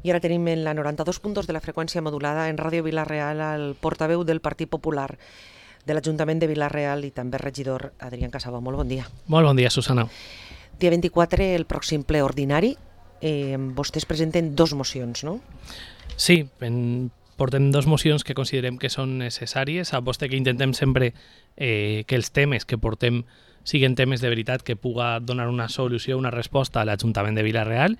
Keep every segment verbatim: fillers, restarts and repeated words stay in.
I ara tenim en la noranta-dos punt dos de la freqüència modulada en Ràdio Vila-real el portaveu del Partit Popular de l'Ajuntament de Vila-real i també regidor Adrián Casaba. Molt bon dia. Molt bon dia, Susana. Dia vint-i-quatre, el pròxim ple ordinari. Eh, vostès presenten dos mocions, no? Sí, en, portem dos mocions que considerem que són necessàries. Sap vostè que intentem sempre eh, que els temes que portem siguin temes de veritat que puga donar una solució, una resposta a l'Ajuntament de Vila-real,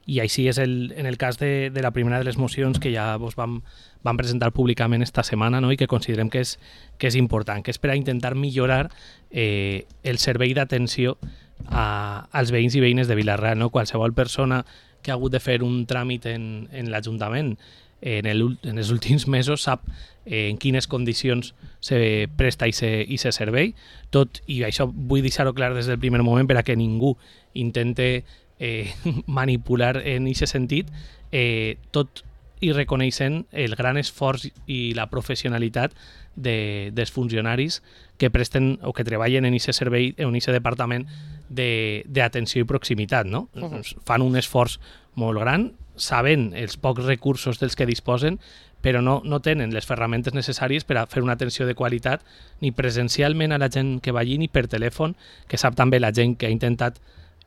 i així és el, en el cas de, de la primera de les mocions que ja vos vam, vam presentar públicament esta setmana, no? I que considerem que és, que és important, que és per a intentar millorar eh, el servei d'atenció a, als veïns i veïnes de Vila-real, no? Qualsevol persona que ha hagut de fer un tràmit en, en l'Ajuntament en, el, en els últims mesos sap eh, en quines condicions se presta i se, i se servei, tot, i això vull deixar-ho clar des del primer moment per a que ningú intente Eh, manipular en aquest sentit, eh, tot i reconeixent el gran esforç i la professionalitat de, dels funcionaris que presten o que treballen en aquest servei, en aquest departament d'atenció i proximitat, no? Uh-huh. Fan un esforç molt gran, saben els pocs recursos dels que disposen, però no, no tenen les ferramentes necessàries per a fer una atenció de qualitat ni presencialment a la gent que va allí ni per telèfon, que sap també la gent que ha intentat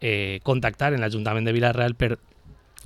Eh, contactar en l'Ajuntament de Vila-real per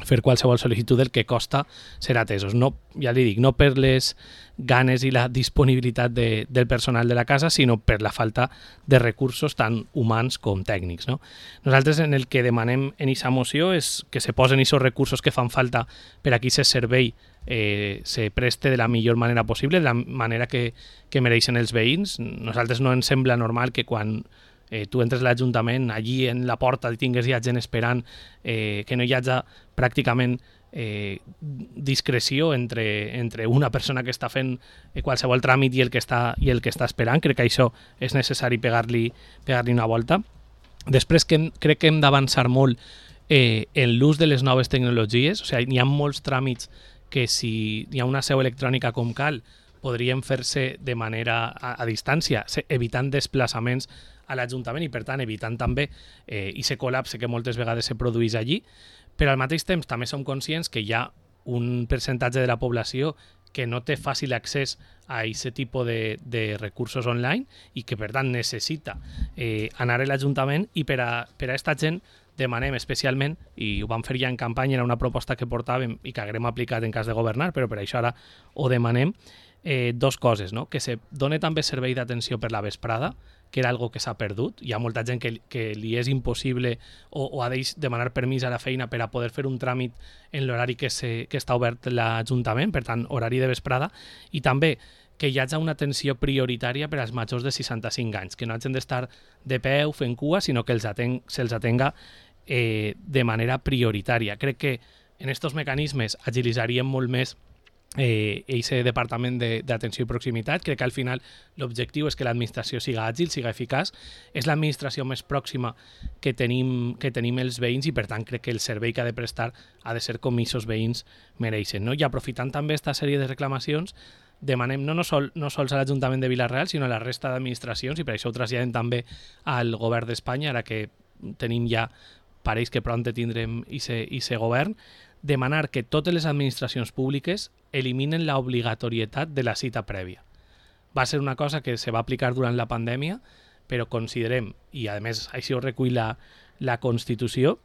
fer qualsevol sol·licitud del que costa ser atesos. No, ja li dic, no per les ganes i la disponibilitat de, del personal de la casa, sinó per la falta de recursos tant humans com tècnics, no? Nosaltres en el que demanem en aquesta moció és que se posen aquests recursos que fan falta per a que aquest servei eh, se preste de la millor manera possible, de la manera que, que mereixen els veïns. Nosaltres no ens sembla normal que quan Eh, tu entres a l'Ajuntament, allí en la porta tingues ja gent esperant, eh, que no hi hagi pràcticament eh, discreció entre, entre una persona que està fent eh, qualsevol tràmit i el que està, i el que està esperant. Crec que això és necessari pegar-li pegar-li una volta. Després que hem, crec que hem d'avançar molt eh, en l'ús de les noves tecnologies. O sigui, hi ha molts tràmits que si hi ha una seu electrònica com cal podrien fer-se de manera a, a distància, evitant desplaçaments a l'Ajuntament i per tant evitant també eh, i se col·lapse que moltes vegades se produeix allí, però al mateix temps també som conscients que hi ha un percentatge de la població que no té fàcil accés a aquest tipus de, de recursos online i que per tant necessita eh, anar a l'Ajuntament, i per a, per a esta gent demanem especialment, i ho vam fer ja en campanya, era una proposta que portàvem i que haguem aplicat en cas de governar, però per això ara ho demanem, eh, dos coses, no? Que se doni també servei d'atenció per la vesprada, que era algo que s'ha perdut. Hi ha molta gent que, que li és impossible o, o ha de demanar permís a la feina per a poder fer un tràmit en l'horari que, se, que està obert l'Ajuntament, per tant, horari de vesprada, i també que hi hagi una atenció prioritària per als majors de seixanta-cinc anys, que no hagin d'estar de peu fent cua, sinó que els aten, se'ls atenga eh, de manera prioritària. Crec que en aquests mecanismes agilitzaríem molt més eh, aquest departament d'atenció i proximitat. Crec que al final l'objectiu és que l'administració siga àgil, siga eficaç. És l'administració més pròxima que tenim, que tenim els veïns, i per tant crec que el servei que ha de prestar ha de ser com aquests veïns mereixen, no? I aprofitant també aquesta sèrie de reclamacions, demanem no, no, sol, no sols a l'Ajuntament de Vila-real, sinó a la resta d'administracions, i per això ho traslladem també al govern d'Espanya, ara que tenim ja, pareix que pront tindrem aquest govern, demanar que totes les administracions públiques eliminen l'obligatorietat de la cita prèvia. Va ser una cosa que se va aplicar durant la pandèmia, però considerem, i a més així ho recull la, la Constitució,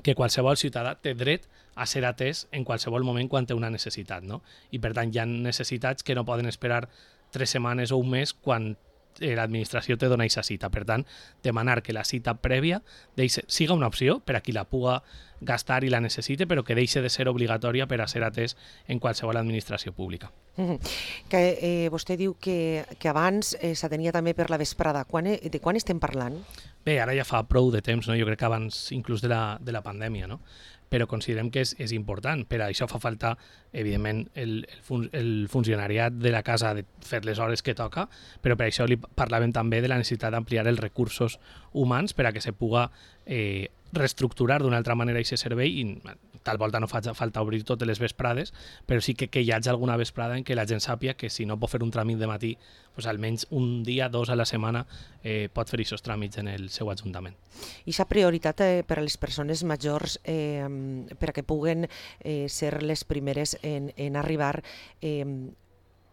que qualsevol ciutadà té dret a ser atès en qualsevol moment quan té una necessitat, no? I per tant hi ha necessitats que no poden esperar tres setmanes o un mes quan l'administració te dona aquesta cita. Per tant, demanar que la cita prèvia deixe, siga una opció per a qui la puga gastar i la necessite, però que deixi de ser obligatòria per a ser atès en qualsevol administració pública. Mm-hmm. Que eh, vostè diu que, que abans eh, s'atenia també per la vesprada. Quan, de quan estem parlant? Bé, ara ja fa prou de temps, no? Jo crec que abans inclús de la, de la pandèmia, no? Però considerem que és, és important. Per això fa falta, evidentment, el, el, fun, el funcionariat de la casa de fer les hores que toca, però per això li parlàvem també de la necessitat d'ampliar els recursos humans per a que se puga eh, reestructurar d'una altra manera aquest servei, i tal volta no fa falta obrir totes les vesprades, però sí que, que hi hagi alguna vesprada en què la gent sàpia que si no pot fer un tràmit de matí, pues almenys un dia, dos a la setmana, eh, pot fer aquests tràmits en el seu ajuntament. I aquesta prioritat eh, per a les persones majors, eh, per a que puguen eh, ser les primeres en, en arribar, eh,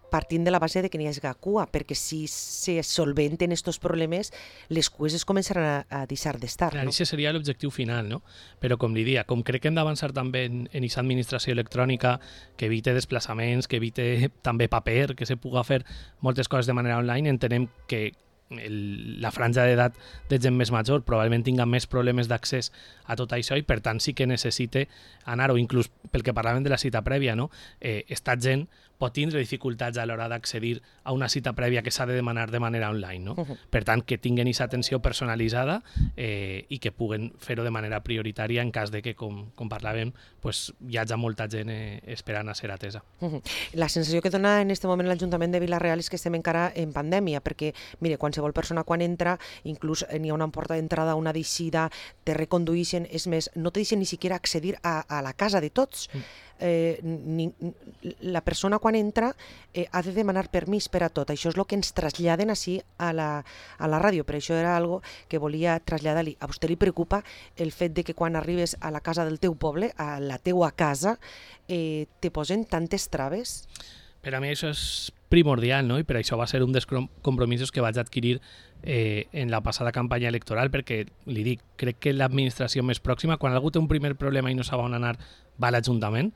partint de la base de que n'hi hagi cua, perquè si se solventen aquests problemes, les cues es començaran a, a deixar d'estar. Clar, no? Això seria l'objectiu final, no? Però com li dia, com crec que hem d'avançar també en aquesta administració electrònica, que evite desplaçaments, que evite també paper, que se puga fer moltes coses de manera online, entenem que el, la franja d'edat de gent més major probablement tinga més problemes d'accés a tot això i per tant sí que necessite anar, o inclús pel que parlàvem de la cita prèvia, no? eh, esta gent pot tindre dificultats a l'hora d'accedir a una cita prèvia que s'ha de demanar de manera online. No? Uh-huh. Per tant, que tinguin aquesta atenció personalitzada eh, i que puguen fer-ho de manera prioritària en cas de que, com, com parlàvem, pues, hi hagi molta gent eh, esperant a ser atesa. Uh-huh. La sensació que dona en aquest moment l'Ajuntament de Vila-real és que estem encara en pandèmia, perquè, mire, qualsevol persona quan entra, inclús n'hi ha una porta d'entrada, una d'eixida, te recondueixen, és més, no te deixen ni siquiera accedir a, a la casa de tots. Mm. Eh, ni, la persona quan entra eh, ha de demanar permís per a tot. Això és el que ens traslladen així a la, a la ràdio, per això era algo que volia traslladar-li. A vostè li preocupa el fet de que quan arribes a la casa del teu poble, a la teua casa, eh, te posen tantes traves? Per a mi això és primordial, no? I per això va ser un dels compromisos que vaig adquirir eh, en la passada campanya electoral, perquè li dic, crec que l'administració més pròxima, quan algú té un primer problema i no sap on anar, va a l'Ajuntament,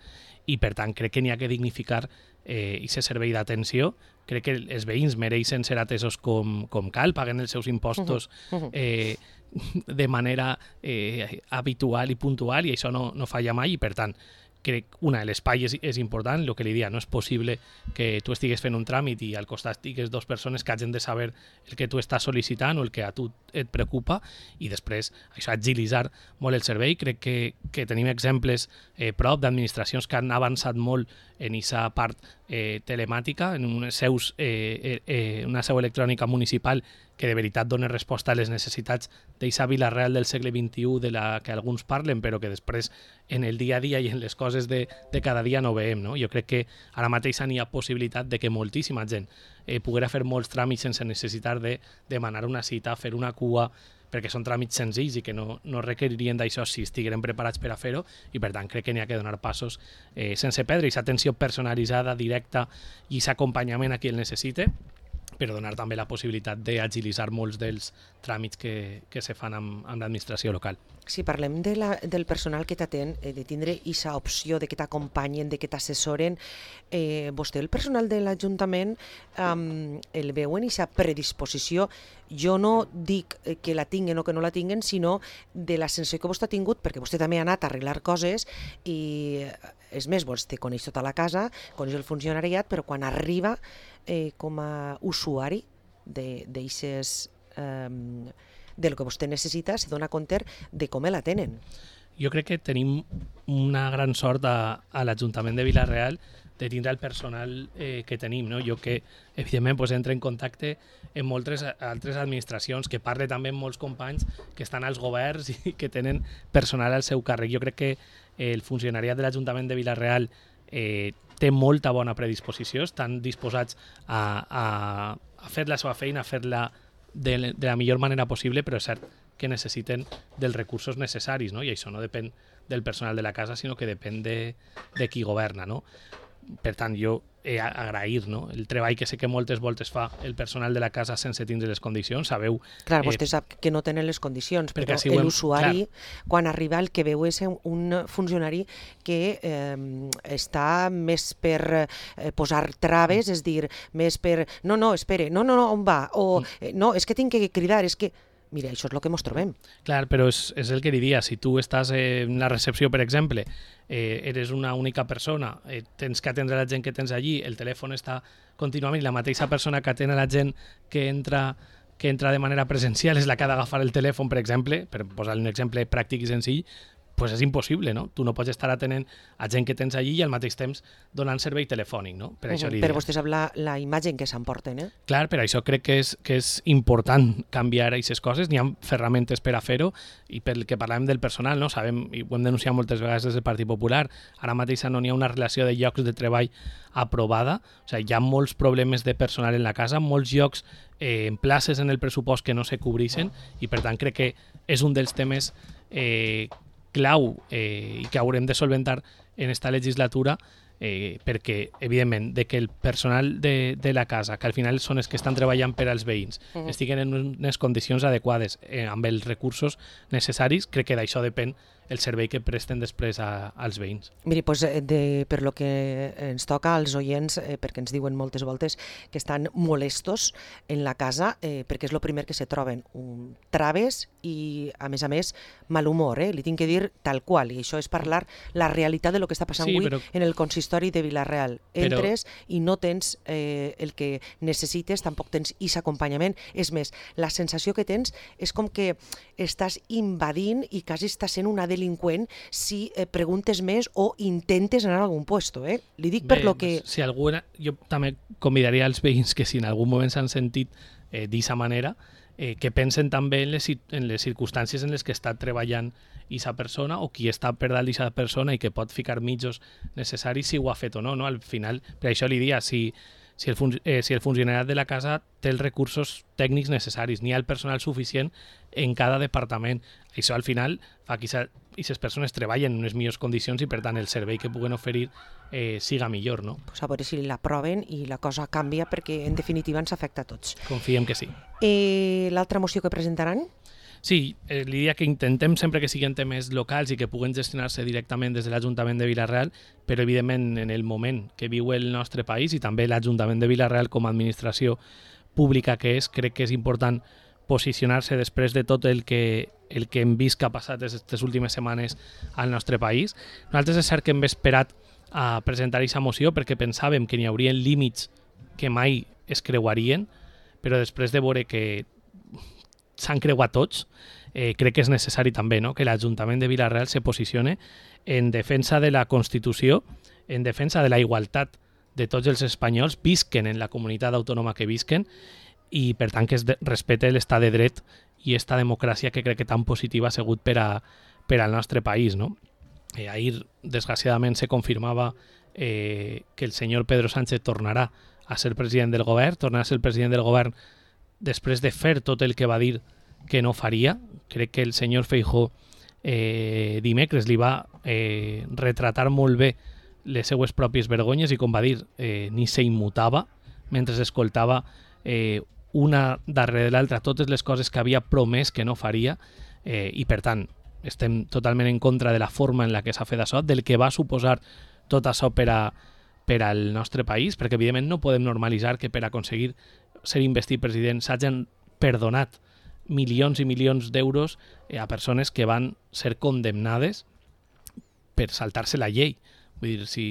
i per tant crec que n'hi ha que dignificar eh, aquest servei d'atenció. Crec que els veïns mereixen ser atesos com, com cal, paguen els seus impostos eh, de manera eh, habitual i puntual, i això no, no falla mai, i per tant crec, una, l'espai és, és important, el que li dia, no és possible que tu estigues fent un tràmit i al costat estigues dues persones que hagin de saber el que tu estàs sol·licitant o el que a tu et preocupa, i després això, agilitzar molt el servei. Crec que, que tenim exemples eh, prop d'administracions que han avançat molt en aquesta part eh, telemàtica, en unes seus, eh, eh, una seu electrònica municipal que de veritat dona resposta a les necessitats d'aquesta Vila-real del segle vint-i-u de la que alguns parlen, però que després en el dia a dia i en les coses de, de cada dia no veiem. No? Jo crec que ara mateix n'hi ha possibilitat de que moltíssima gent eh, poguera fer molts tràmits sense necessitar de demanar una cita, fer una cua, perquè són tràmits senzills i que no, no requeririen d'això si estigueren preparats per a fer-ho, i per tant crec que n'hi ha que donar passos eh, sense perdre aquesta atenció personalitzada, directa, i aquest acompanyament a qui el necessite, però donar també la possibilitat d'agilitzar molts dels tràmits que, que se fan amb, amb l'administració local. Si parlem de la, del personal que t'atén, eh, de tindre aquesta opció de que t'acompanyen, de que t'assessoren, eh, vostè, el personal de l'Ajuntament, eh, el veu en aquesta predisposició? Jo no dic que la tinguen o que no la tinguen, sinó de la sensació que vostè ha tingut, perquè vostè també ha anat a arreglar coses i, és més, vostè coneix tota la casa, coneix el funcionariat, però quan arriba eh, com a usuari d'aixes... Eh, del que vostè necessita, se dona compte de com la tenen. Jo crec que tenim una gran sort a, a l'Ajuntament de Vila-real de tindre el personal eh, que tenim. No? Jo que, evidentment, pues, entra en contacte amb moltes altres administracions, que parle també amb molts companys que estan als governs i que tenen personal al seu càrrec. Jo crec que el funcionariat de l'Ajuntament de Vila-real eh, té molta bona predisposició, estan disposats a, a, a fer la seva feina, a fer-la De, de la millor manera possible, però és cert que necessiten dels recursos necessaris, no? I això no depèn del personal de la casa, sinó que depèn de, de qui governa. No? Per tant, jo he agrair, no? El treball que sé que moltes voltes fa el personal de la casa sense tindre les condicions. Sabeu... Clar, vostè eh, sap que no tenen les condicions, però si l'usuari, quan arriba, el que veu és un funcionari que eh, està més per eh, posar traves, és dir, més per... No, no, espere, no, no, no, on va? O eh, no, és que tinc que cridar, és que... Mira, això és el que ens trobem. Clar, però és, és el que li dia. Si tu estàs en la recepció, per exemple, eh, eres una única persona, eh, tens que atendre la gent que tens allí, el telèfon està contínuament, i la mateixa persona que atén a la gent que entra, que entra de manera presencial és la que ha d'agafar el telèfon, per exemple, per posar un exemple pràctic i senzill, pues és impossible, no? Tu no pots estar atenent a gent que tens allí i al mateix temps donant servei telefònic, no? Per això Però vostè sap la, la imatge que s'emporten, eh? Clar, per això crec que és, que és important canviar aquestes coses, n'hi ha ferramentes per a fer-ho, i pel que parlàvem del personal, no? Sabem, i ho hem denunciat moltes vegades des del Partit Popular, ara mateix no n'hi ha una relació de llocs de treball aprovada, o sigui, hi ha molts problemes de personal en la casa, molts llocs eh, en places en el pressupost que no se cobreixen, i per tant crec que és un dels temes eh, clau eh, i que haurem de solventar en esta legislatura, eh, perquè, evidentment, de que el personal de, de la casa, que al final són els que estan treballant per als veïns, uh -huh. estiguen en unes condicions adequades eh, amb els recursos necessaris, crec que d'això depèn el servei que presten després a, als veïns. Miri, doncs, de, per lo que ens toca als oients, eh, perquè ens diuen moltes voltes que estan molestos en la casa, eh, perquè és el primer que se troben, un, traves i, a més a més, mal humor, eh? Li tinc que dir tal qual, i això és parlar la realitat de lo que està passant sí, avui però... en el consistori de Vila-real. Entres però... i no tens eh, el que necessites, tampoc tens aquest acompanyament. És més, la sensació que tens és com que estàs invadint i quasi estàs sent una delinqüent si eh, preguntes més o intentes anar a algun puesto, eh? Li dic per Bé, lo que... Si alguna, jo també convidaria als veïns que si en algun moment s'han sentit eh, d'aquesta manera, eh, que pensen també en les, en les circumstàncies en les que està treballant aquesta persona o qui està per dalt d'aquesta persona i que pot ficar mitjos necessaris si ho ha fet o no, no? Al final, per això li dia, si, si, el fun eh, si el funcionari de la casa té els recursos tècnics necessaris, n'hi ha el personal suficient en cada departament. Això al final fa que aquestes persones treballen en unes millors condicions i per tant el servei que puguen oferir eh, siga millor, no? Pues a veure si l'aproven i la cosa canvia perquè en definitiva ens afecta a tots. Confiem que sí. Eh, L'altra moció que presentaran? Sí, eh, l'idea que intentem sempre que siguin temes locals i que puguen gestionar-se directament des de l'Ajuntament de Vila-real, però evidentment en el moment que viu el nostre país i també l'Ajuntament de Vila-real com a administració pública que és, crec que és important posicionar-se després de tot el que, el que hem vist que ha passat aquestes últimes setmanes al nostre país. Nosaltres és cert que hem esperat a presentar aquesta moció perquè pensàvem que n'hi haurien límits que mai es creuarien, però després de veure que s'han creuat tots, eh, crec que és necessari també, no?, que l'Ajuntament de Vila-real se posicione en defensa de la Constitució, en defensa de la igualtat de tots els espanyols, visquen en la comunitat autònoma que visquen, i per tant que es respecte l'estat de dret i esta democràcia que crec que tan positiva ha sigut per, a, per al nostre país, no? Eh, ahir, desgraciadament, se confirmava eh, que el senyor Pedro Sánchez tornarà a ser president del govern, tornarà a ser el president del govern després de fer tot el que va dir que no faria. Crec que el senyor Feijóo eh, dimecres li va eh, retratar molt bé les seues pròpies vergonyes i, com va dir, eh, ni s'immutava mentre escoltava eh, una darrere l'altra totes les coses que havia promès que no faria, eh, i per tant estem totalment en contra de la forma en la que s'ha fet això, del que va suposar tot això per, a, per al nostre país, perquè evidentment no podem normalitzar que per aconseguir ser investit president s'hagin perdonat milions i milions d'euros a persones que van ser condemnades per saltar-se la llei. Vull dir, si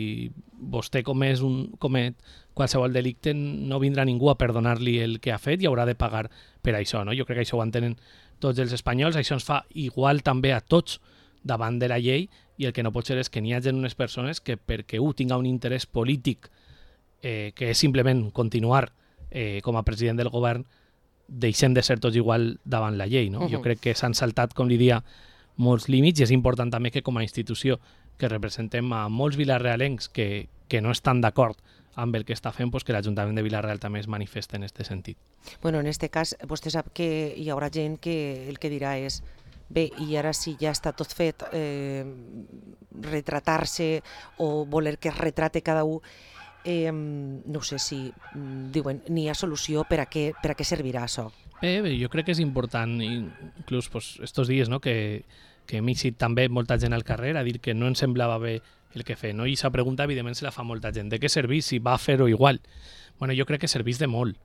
vostè comès un, comet qualsevol delicte, no vindrà ningú a perdonar-li el que ha fet i haurà de pagar per això, no? Jo crec que això ho entenen tots els espanyols, això ens fa igual també a tots davant de la llei, i el que no pot ser és que n'hi hagi unes persones que perquè un tinga un interès polític eh, que és simplement continuar eh, com a president del govern, deixem de ser tots igual davant la llei, no? Uh-huh. Jo crec que s'han saltat, com li dia, molts límits, i és important també que com a institució que representem a molts vilarealencs que, que no estan d'acord amb el que està fent, pues que l'Ajuntament de Vila-real també es manifesta en aquest sentit. Bueno, en aquest cas, vostè sap que hi haurà gent que el que dirà és bé, i ara si ja està tot fet, eh, retratar-se o voler que es retrate cada un, eh, no sé si diuen n'hi ha solució per a què, per a què servirà això. Bé, bé, jo crec que és important, inclús pues, estos dies, no?, que, que hem eixit també molta gent al carrer a dir que no ens semblava bé el que fer, no? I aquesta pregunta evidentment se la fa molta gent. De què serveix si va fer-ho igual? Bueno, jo crec que serveix de molt.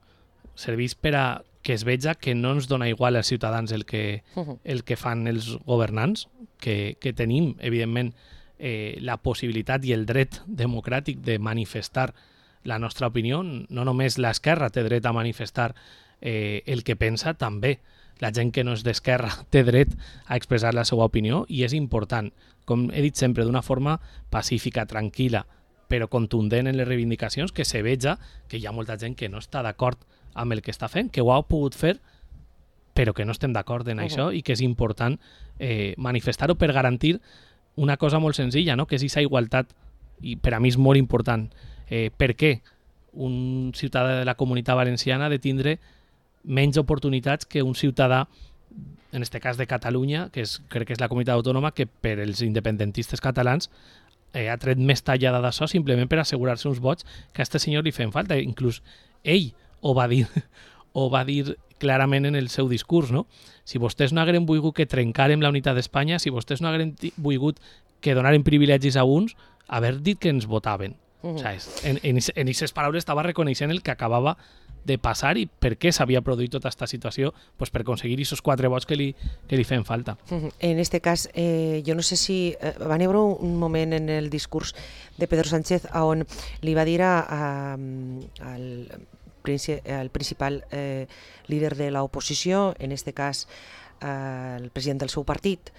Serveix per a que es veja que no ens dona igual als ciutadans el que, el que fan els governants, que, que tenim, evidentment, eh, la possibilitat i el dret democràtic de manifestar la nostra opinió. No només l'esquerra té dret a manifestar eh, el que pensa, també la gent que no és d'esquerra té dret a expressar la seva opinió i és important, com he dit sempre, d'una forma pacífica, tranquil·la, però contundent en les reivindicacions, que se veja que hi ha molta gent que no està d'acord amb el que està fent, que ho ha pogut fer, però que no estem d'acord en uh -huh. això i que és important eh, manifestar-ho per garantir una cosa molt senzilla, no? Que és aquesta igualtat, i per a mi és molt important. Eh, per què un ciutadà de la Comunitat Valenciana ha de tindre menys oportunitats que un ciutadà, en aquest cas de Catalunya, que és, crec que és la comunitat autònoma, que per els independentistes catalans eh, ha tret més tallada d'això simplement per assegurar-se uns vots que a aquest senyor li feien falta. Inclús ell ho va dir, ho va dir clarament en el seu discurs, no? Si vostès no hagueren volgut que trencàrem la unitat d'Espanya, si vostès no hagueren volgut que donaren privilegis a uns, haver dit que ens votaven. Uh -huh. O sigui, en aquestes paraules estava reconeixent el que acabava de passar i per què s'havia produït tota aquesta situació, pues per aconseguir aquests quatre vots que li, que li feien falta. En este cas, eh, jo no sé si eh, va haver un moment en el discurs de Pedro Sánchez on li va dir a, a, al, el principal eh, líder de l'oposició, en este cas eh, el president del seu partit,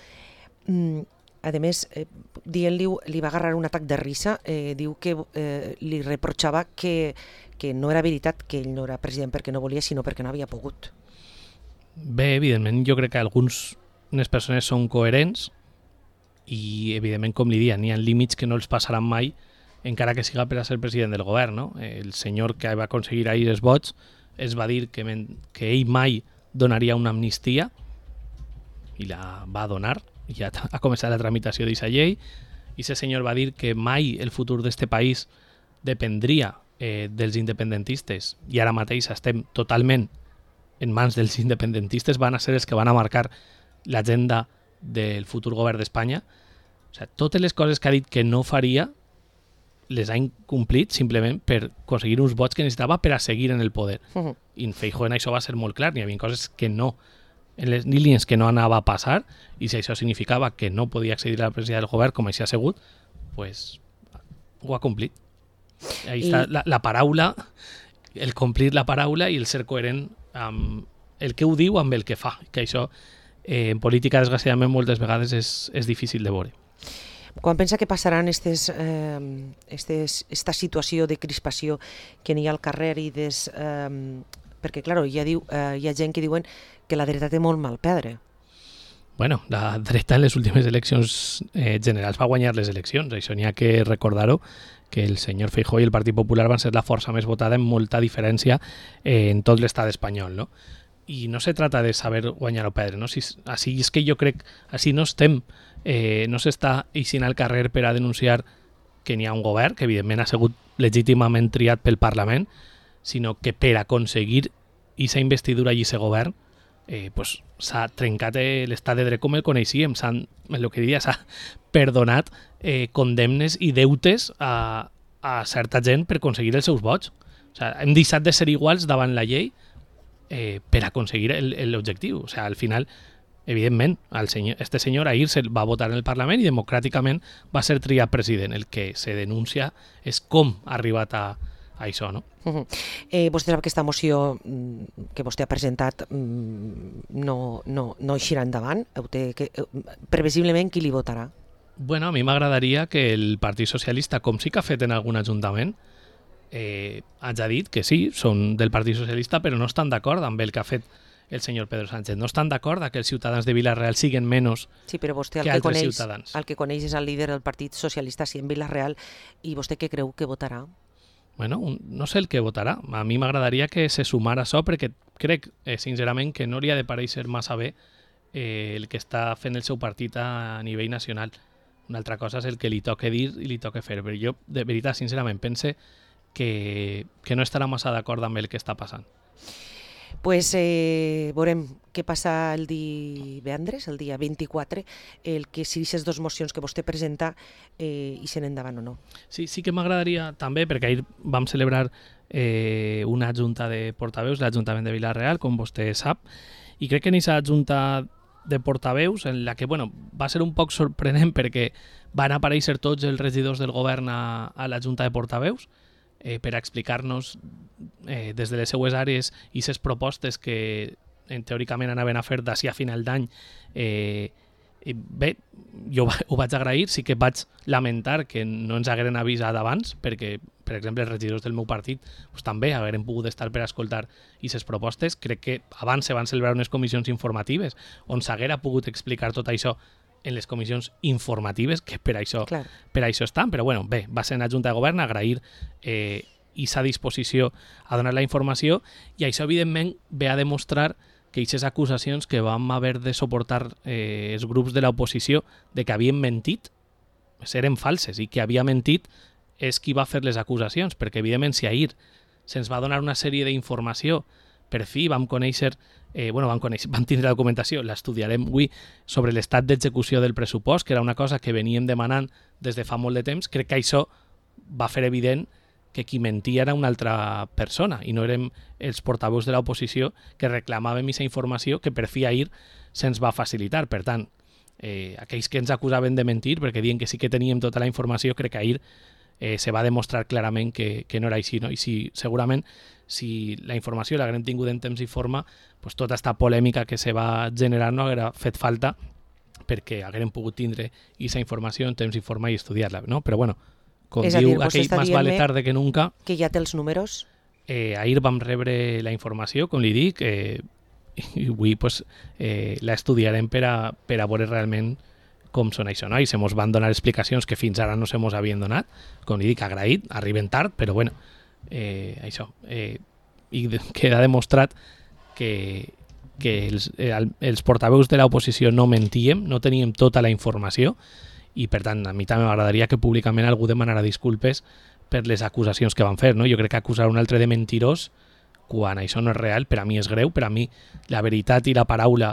mm, a més, eh, dient-li, li va agarrar un atac de risa, eh, diu que eh, li reprochava que, que no era veritat que ell no era president perquè no volia, sinó perquè no havia pogut. Bé, evidentment, jo crec que algunes persones són coherents i, evidentment, com li diuen, n'hi ha límits que no els passaran mai, encara que siga per a ser president del govern, no? El senyor que va aconseguir ahir els vots es va dir que, que ell mai donaria una amnistia i la va donar. Ja ha començat la tramitació d'aquesta llei i aquest senyor va dir que mai el futur d'aquest país dependria eh, dels independentistes i ara mateix estem totalment en mans dels independentistes, van a ser els que van a marcar l'agenda del futur govern d'Espanya. O sigui, totes les coses que ha dit que no faria les ha incomplit simplement per aconseguir uns vots que necessitava per a seguir en el poder. Uh-huh. I en Feijóo en això va ser molt clar, n'hi havia coses que no en les línies que no anava a passar i si això significava que no podia accedir a la presidència del govern com així ha sigut, pues ho ha complit. Ahí I... està la, la paraula, el complir la paraula i el ser coherent amb el que ho diu amb el que fa, que això eh, en política desgraciadament moltes vegades és, és difícil de veure. Quan pensa que passaran estes, eh, estes, esta situació de crispació que n'hi ha al carrer i des... Eh, perquè, clar, ja diu, eh, hi ha gent que diuen que la dreta té molt mal perdre. Bueno, la dreta en les últimes eleccions eh, generals va guanyar les eleccions. Això n'hi ha que recordar-ho, que el senyor Feijóo i el Partit Popular van ser la força més votada amb molta diferència eh, en tot l'estat espanyol, no? I no se trata de saber guanyar o perdre, no? Si, així és que jo crec, així no estem, eh, no s'està eixint al carrer per a denunciar que n'hi ha un govern, que evidentment ha sigut legítimament triat pel Parlament, sinó que per aconseguir aquesta investidura i aquest govern eh, pues, s'ha trencat l'estat de dret com el coneixíem, s'han, el que diria, s'ha perdonat eh, condemnes i deutes a, a certa gent per aconseguir els seus vots. O sigui, hem deixat de ser iguals davant la llei eh, per aconseguir l'objectiu. O sigui, al final, evidentment, el senyor, este senyor ahir se va votar en el Parlament i democràticament va ser triat president. El que se denuncia és com ha arribat a a això, no? Uh-huh. Eh, vostè sap que aquesta moció que vostè ha presentat no, no, no eixirà endavant? Té que, previsiblement, qui li votarà? Bueno, a mi m'agradaria que el Partit Socialista, com sí que ha fet en algun ajuntament, eh, hagi dit que sí, són del Partit Socialista, però no estan d'acord amb el que ha fet el senyor Pedro Sánchez. No estan d'acord que els ciutadans de Vila-real siguin menys sí, però vostè, que, que altres coneix, ciutadans. El que coneix és el líder del Partit Socialista, sí, en Vila-real, i vostè què creu que votarà? Bueno, un, no sé el que votarà. A mi m'agradaria que se sumara això perquè crec, eh, sincerament, que no li ha de pareixer massa bé eh, el que està fent el seu partit a nivell nacional. Una altra cosa és el que li toca dir i li toca fer. Però jo, de veritat, sincerament, pense que, que no estarà massa d'acord amb el que està passant. Pues eh, veurem què passa el divendres, el dia vint-i-quatre, el que si aquestes dues mocions que vostè presenta eh, hi sent endavant o no. Sí, sí que m'agradaria també, perquè ahir vam celebrar eh, una junta de portaveus, l'Ajuntament de Vila-real, com vostè sap, i crec que en aquesta junta de portaveus, en la que bueno, va ser un poc sorprenent perquè van aparèixer tots els regidors del govern a, a la junta de portaveus, eh, per a explicar-nos eh, des de les seues àrees i les propostes que en, teòricament anaven a fer d'ací a final d'any. Eh, bé, jo ho vaig agrair, sí que vaig lamentar que no ens hagueren avisat abans, perquè, per exemple, els regidors del meu partit pues, també hagueren pogut estar per a escoltar aquestes propostes. Crec que abans se van celebrar unes comissions informatives on s'haguera pogut explicar tot això en les comissions informatives, que per això, Clar. per això estan, però bueno, bé, va ser en la Junta de Govern agrair eh, aquesta disposició a donar la informació, i això evidentment ve a demostrar que aquestes acusacions que vam haver de suportar eh, els grups de l'oposició de que havien mentit eren falses, i que havia mentit és qui va fer les acusacions, perquè evidentment si ahir se'ns va donar una sèrie d'informació, per fi vam conèixer Eh, bueno, vam, conèixer, vam tindre la documentació, l'estudiarem avui, sobre l'estat d'execució del pressupost, que era una cosa que veníem demanant des de fa molt de temps. Crec que això va fer evident que qui mentia era una altra persona i no érem els portaveus de l'oposició que reclamàvem aquesta informació que per fi ahir se'ns va facilitar. Per tant, eh, aquells que ens acusaven de mentir, perquè diuen que sí que teníem tota la informació, crec que ahir eh, se va demostrar clarament que, que no era així, no? I si, segurament si la informació l'haguem tingut en temps i forma, pues tota aquesta polèmica que se va generar no haguera fet falta, perquè haguem pogut tindre aquesta informació en temps i forma i estudiar-la, no? Però bueno, com és diu dir, aquell más vale tarde que nunca, que ja té els números. Eh, ahir vam rebre la informació, com li dic, eh, i avui pues, eh, la estudiarem per a, per a veure realment com són això, no? I se mos van donar explicacions que fins ara no se mos havien donat, com li dic, agraït, arriben tard, però bueno, eh, això, eh, i de, queda demostrat que, que els, eh, els portaveus de l'oposició no mentíem, no teníem tota la informació, i per tant a mi també m'agradaria que públicament algú demanara disculpes per les acusacions que van fer, no? Jo crec que acusar un altre de mentirós quan això no és real, per a mi és greu, per a mi la veritat i la paraula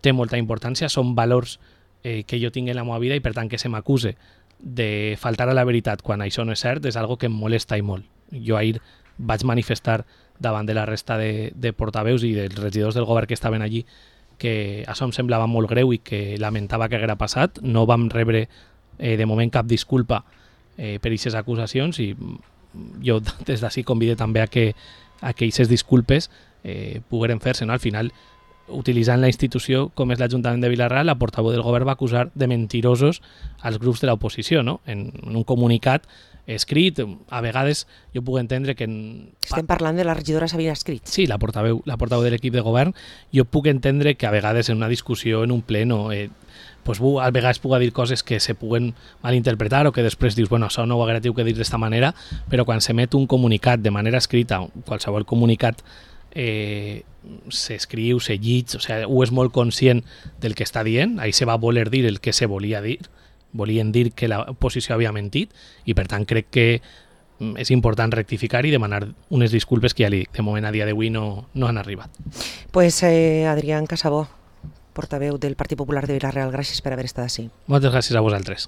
té molta importància, són valors eh, que jo tinc en la meva vida, i per tant que se m'acuse de faltar a la veritat quan això no és cert és algo que em molesta i molt. Jo ahir vaig manifestar davant de la resta de, de portaveus i dels regidors del govern que estaven allí que això em semblava molt greu i que lamentava que haguera passat. No vam rebre eh, de moment cap disculpa eh, per aquestes acusacions, i jo des d'ací convido també a que a que aquestes disculpes eh, pogueren fer-se, no? Al final, utilitzant la institució com és l'Ajuntament de Vila-real, la portaveu del govern va acusar de mentirosos als grups de l'oposició, no? En, en un comunicat escrit, a vegades jo puc entendre que... En... Estem parlant de la regidora Sabina Escrit. Sí, la portaveu, la portaveu de l'equip de govern. Jo puc entendre que a vegades en una discussió, en un pleno, eh, pues, a vegades puc dir coses que se puguen malinterpretar o que després dius, bueno, això no ho haguera tingut que dir d'esta manera, però quan s'emet un comunicat de manera escrita, qualsevol comunicat eh, s'escriu, se llig, o sigui, ho és molt conscient del que està dient, ahí se va voler dir el que se volia dir, volien dir que l'oposició havia mentit, i per tant crec que és important rectificar i demanar unes disculpes que ja li dic, de moment a dia d'avui no, no han arribat. Pues eh, Adrián Casabó, portaveu del Partit Popular de Vila-real, gràcies per haver estat ací. Moltes gràcies a vosaltres.